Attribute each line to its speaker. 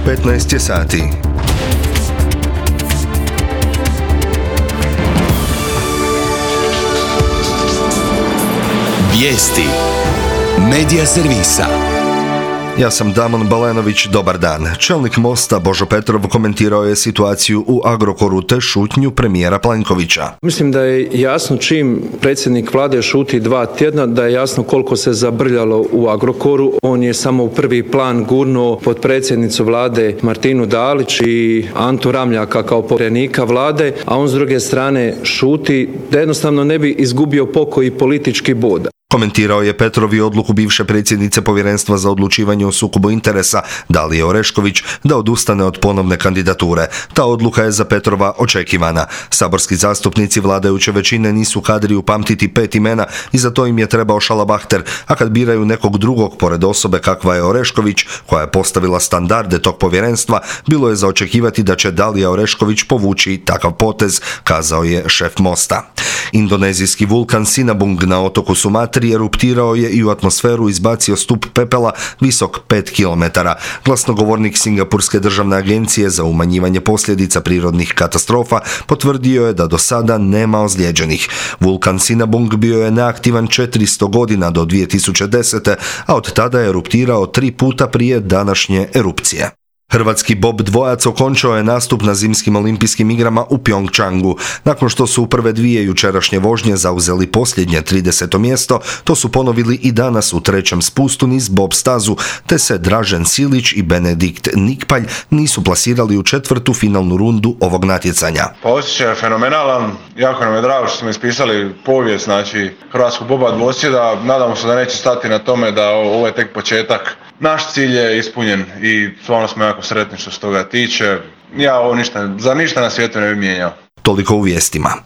Speaker 1: 15 je sati.
Speaker 2: Vijesti Medija servisa.
Speaker 1: Ja sam Damon Balenović, dobar dan. Čelnik Mosta Božo Petrov komentirao je situaciju u Agrokoru te šutnju premijera Plenkovića.
Speaker 3: Mislim da je jasno čim predsjednik vlade šuti 2 tjedna, da je jasno koliko se zabrljalo u Agrokoru. On je samo u prvi plan gurnuo potpredsjednicu vlade Martinu Dalić i Antu Ramljaka kao povjerenika vlade, a on s druge strane šuti da jednostavno ne bi izgubio pokoji politički bod.
Speaker 1: Komentirao je Petrov i odluku bivše predsjednice Povjerenstva za odlučivanje o sukobu interesa Dalije Orešković da odustane od ponovne kandidature. Ta odluka je za Petrova očekivana. Saborski zastupnici vladajuće većine nisu kadri upamtiti 5 imena i za to im je trebao šalabahter, a kad biraju nekog drugog pored osobe kakva je Orešković, koja je postavila standarde tog povjerenstva, bilo je za očekivati da će Dalija Orešković povući takav potez, kazao je šef Mosta. Indonezijski vulkan Sinabung na otoku Sumatri eruptirao je i u atmosferu izbacio stup pepela visok 5 km. Glasnogovornik Singapurske državne agencije za umanjivanje posljedica prirodnih katastrofa potvrdio je da do sada nema ozlijeđenih. Vulkan Sinabung bio je neaktivan 400 godina do 2010. a od tada je eruptirao 3 puta prije današnje erupcije. Hrvatski bob dvojac okončao je nastup na zimskim olimpijskim igrama u Pjongčangu. Nakon što su u prve 2 jučerašnje vožnje zauzeli posljednje 30. mjesto, to su ponovili i danas u 3. spustu niz bob stazu, te se Dražen Silić i Benedikt Nikpalj nisu plasirali u 4. finalnu rundu ovog natjecanja.
Speaker 4: Pa osjećaj je fenomenalan, jako nam je drago što smo ispisali povijest, hrvatskog boba dvosjeda. Nadamo se da neće stati na tome, da ovo je tek početak. Naš cilj je ispunjen i stvarno smo jako sretni što se toga tiče. Ja ovo za ništa na svijetu ne bi mijenjao.
Speaker 1: Toliko u vijestima.